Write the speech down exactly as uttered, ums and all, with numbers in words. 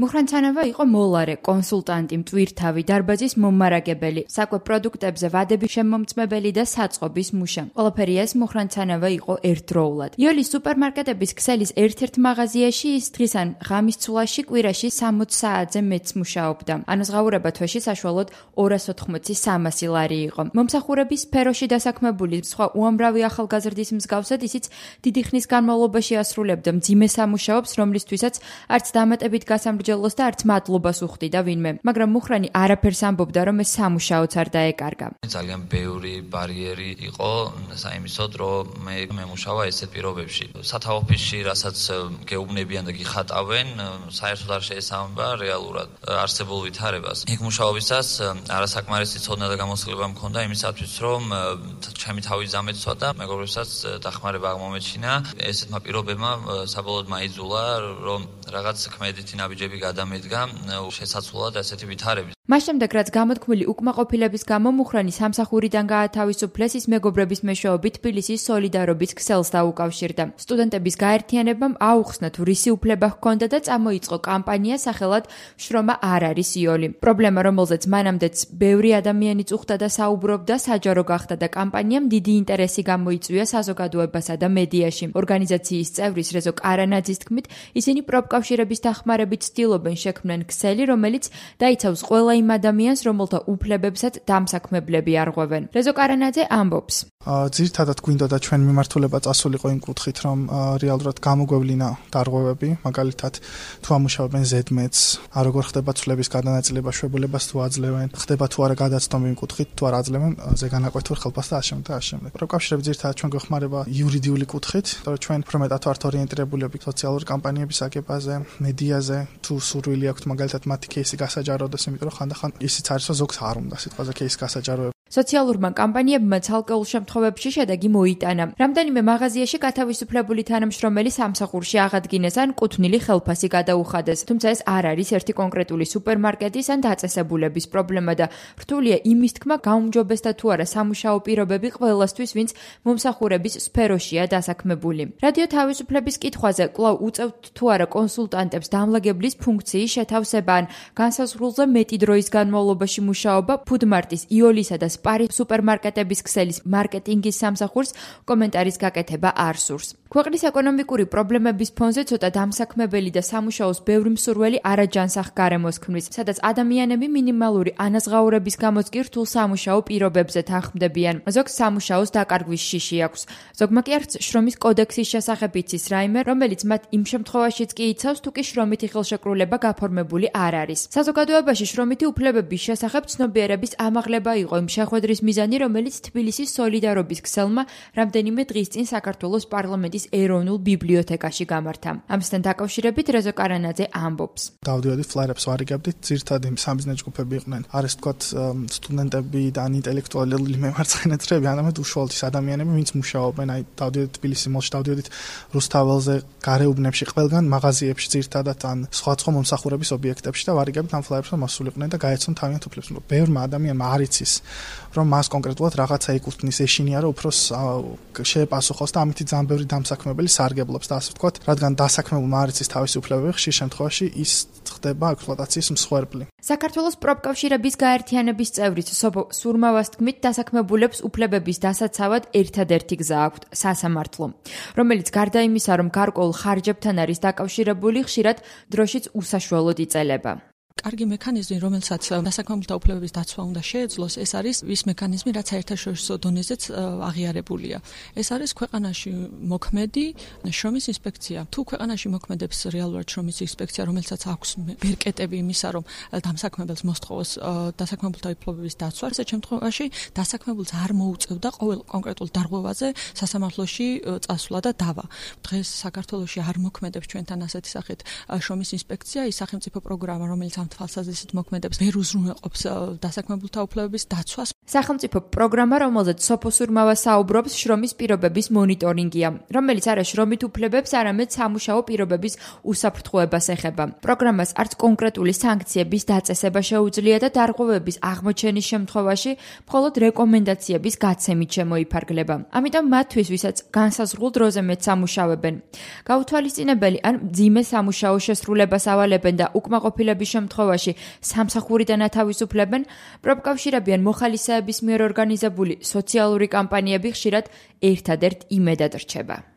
მუხრანცანავა იყო მოლარე, კონსულტანტი, მტვირთავი, დარბაზის მომარაგებელი, საკვე პროდუქტებზე ვადების შემომწმებელი და საწყობის მუშა. ყველაფერი ეს მუხრანცანავა იყო ერთდროულად. იოლის სუპერმარკეტების ქსელის ერთ-ერთ მაღაზიაში ის დღის ან ღამის ცვლაში კვირაში სამოცი საათზე მეც მუშაობდა. ანაზღაურება თვეში საშუალოდ ორას ოთხმოცი სამასი ლარი იყო. მომსახურების სფეროში დასაქმებული სხვა უამრავი ახალგაზრდის მსგავსად ისიც დიდი ხნის განმავლობაში ასრულებდა მძიმე სამუშაობს, რომლისთვისაც არც დამატებით გასამრჯელოს და არც მადლობას უხდიდა ვინმე. მაგრამ მუხრანი არაფერს ამბობდა, რომ ეს სამუშაოც არ დაეკარგა. ძალიან ბევრი ბარიერი იყო საიმისოდ, რომ მე მემუშავა ესეთ პირობებში. სათავო ოფისში, რასაც გეუბნებიან და გიხატავენ, საერთოდ არ შეესაბამება რეალურად არსებულ ვითარებას. იქ მუშაობისას არასაკმარისი ცოდნა და გამოცდილება მქონდა იმისათვის, რომ ჩემი თავი ზამეცვა და მეგობრებსაც დახმარება აღმომეჩინა. ესეთმა პირობებმა საბოლოოდ მაიძულა, რომ რაღაც ქმედითი ნაბიჯები გადამედგა შესაძლოა ესეთი ვითარების. მას შემდეგ, რაც გამოთქმული უკმაყოფილების გამო მუხრანი სამსახურიდან გაათავისუფლეს, ის მეგობრების მეშვეობით თბილისის სოლიდარობის ქსელს დაუკავშირდა. სტუდენტების გაერთიანებამ აუხსნა თუ რისი უფლება ჰქონდა და წამოიწყო კამპანია სახელად შრომა არ არის იოლი. პრობლემა, რომელზეც მანამდეც ბევრი ადამიანი წუხდა და საუბრობდა, საჯარო გახდა და კამპანიამ დიდი ინტერესი გამოიწვია საზოგადოებასა და მედიაში. ორგანიზაციის წევრის რეზო კარანაძის თქმით, ისინი პროფკავშირების დახმარებით ცდილობენ შექმნან ქსელი, რომელიც დაიცავს ყველა იმ ადამიანს, რომელთა უფლებებსაც დამსაქმებლები არღვევენ. რეზო კარანაძე ამბობს. ძირითადად გვინდოდა ჩვენ მიმართულება წასულიყო იმ კუთხით, რომ რეალურად გამოგვევლინა დარღვევები, მაგალითად თუ ამუშავებენ ზედმეტს, როგორ ხდება ცვლების გადანაწილება, შვებულებას თუ აძლევენ, ხდება თუ არა გადაცდომა იმ კუთხით, თუ არ აძლევენ ზეგანაკვეთურ ხელფასს და ამავდროულად და ამავდროულად. პროფკავშირები ძირითადად ჩვენ გვეხმარება იურიდიული კუთხით, იმიტომ რომ ჩვენ უფრო მეტად ვართ ორიენტირებულები სოციალური კამპანიების აგებაზე, მედიაზე, თუ სურვილი აქვთ მაგალითად მათი кейსი გასაჯაროდეს, იმიტომ რომ ხანდახან ისიც არის, რომ ზოგს არ უნდა სიტყვაზე кейსი გასაჯაროება. სოციალურმა კამპანიებმა ცალკეულ შემთხვევებში შედეგი მოიტანა. რამდენიმე მაღაზიაში გათავისუფლებული თანამშრომელი სამსახურში აღადგინეს ან კუთვნილი ხელფასი გადაუხადეს. თუმცა ეს არ არის ერთი კონკრეტული სუპერმარკეტის ან დაწესებულების პრობლემა და რთულია იმის თქმა, გაუმჯობესდა თუ არა სამუშაო პირობები ყველასთვის, ვინც მომსახურების სფეროშია დასაქმებული. რადიო თავისუფლების კითხვაზე კვლავ უწევთ თუ არა კონსულტანტებს დამლაგებლის ფუნქციის შეთავსება ან განსაზღვრულზე მეტი დროის განმავლობაში მუშაობა ფუდმარტის, იოლისა და პარი სუპერმარკეტების ქსელის მარკეტინგის სამსახურს კომენტარის გაკეთება არ სურს. ქვეყნის ეკონომიკური პრობლემების ფონზე ცოტა დამსაქმებელი და სამუშაოს ბევრი მსურველი არაჯანსაღ გარემოს ქმნის, სადაც ადამიანები მინიმალური ანაზღაურების გამოც კი რთულ სამუშაო პირობებზე თანხმდებიან. ზოგს სამუშაოს დაკარგვის შიში აქვს. ზოგმა კი არც შრომის კოდექსის შესახებ იცის რაიმე, რომელიც მათ იმ შემთხვევაშიც კი იცავს, თუ კი შრომითი ხელშეკრულება გაფორმებული არ არის. საზოგადოებაში შრომითი უფლებების შესახებ ცნობიერების ამაღლება იყო იმ შეხვედრის მიზანი, რომელიც თბილისის სოლიდარობის ქსელმა რამდენიმე დღის წინ საქართველოს პარლამენტის ეროვნულ ბიბლიოთეკაში გამართა. ამასთან დაკავშირებით რეზო კარანაძე ამბობს. დავდივდით ფლაერებს ვარიგებდით, ძირითადად იმ სამიზნე ჯგუფები იყვნენ. არის თქვათ სტუდენტები და ან ინტელექტუალური მემარცხენეები, ანამედ უშუალოდ ის ადამიანები, ვინც მუშაობენ, აი დავდივდით თბილისის მოლში, დავდივდით რუსთაველზე, გარეუბნებში, ყველგან მაღაზიებში ძირითადად ან სხვადასხვა მომსახურების ობიექტებში და ვარიგებდით ამ ფლაერებს, რომ მასულიყვნენ და გაეცნო თავიანთ უფლებს. ბევრმა ადამიანმა არ იცის, რომ მას კონკრეტულად რაღაცა ეკუთვნის, ეშინია, რომ უფრო შეეპასუხოს და ამით ძალიან ბევრი დამსაქმებელი სარგებლობს და ასე ვთქვათ, რადგან დასაქმებულმა არ იცის თავისი უფლებები, ხშირ შემთხვევაში ის ხდება ექსპლუატაციის მსხვერპლი. საქართველოს პროფკავშირების გაერთიანების წევრიც სოფო სურმავას თქმით, დასაქმებულებს უფლებების დასაცავად ერთადერთი გზა აქვთ, სასამართლო, რომელიც გარდა იმისა, რომ გარკვეულ ხარჯებთან არის დაკავშირებული, ხშირად დროშიც უსაშუალოდ იწელება. კარგი მექანიზმი, რომელსაც დასაქმებულთა უფლებების დაცვა უნდა შეეძლოს, ეს არის ის მექანიზმი, რაც საერთაშორისო დონეზეც აღიარებულია. ეს არის ქვეყანაში მოქმედი შრომის ინსპექცია. თუ ქვეყანაში მოქმედებს რეალურად შრომის ინსპექცია, რომელსაც აქვს ბერკეტები იმისა, რომ დამსაქმებელს მოსთხოვოს დასაქმებულთა უფლებების დაცვა, ესეთ შემთხვევაში დასაქმებულს არ მოუწევდა ყოველ კონკრეტულ დარღვევაზე სასამართლოში წასვლა და დავა. დღეს საქართველოში არ მოქმედებს ჩვენთან ასეთი სახით შრომის ინსპექცია, ის სახელმწიფო პროგრამა, რომელიც ამ თვალსაზრისით მოქმედებს, ვერ უზრუნველყოფს დასაქმებულთა უფლებების დაცვას. სახელმწიფო პროგრამა, რომელზეც სოფოსურმავა საუბრობს, შრომის პირობების მონიტორინგია, რომელიც არა შრომით უფლებებს, არამედ სამუშაო პირობების უსაფრთხოებას ეხება. პროგრამას არც კონკრეტული სანქციების დაწესება შეუძლია და დარღვევების აღმოჩენის შემთხვევაში მხოლოდ რეკომენდაციების გაცემით შემოიფარგლება. ამიტომ მათთვის, ვისაც განსაზღვრულ დროზე მეტ სამუშაოებენ, გაუთვალისწინებელი ან მძიმე სამუშაო შესრულებას ავალებენ და უკმაყოფილების შემთხვევაში სამსახურიდან ათავისუფლებენ, პროფკავშირები ან მოხალისეების მიერ ორგანიზებული სოციალური კამპანიები ხშირად ერთადერთ იმედად რჩება.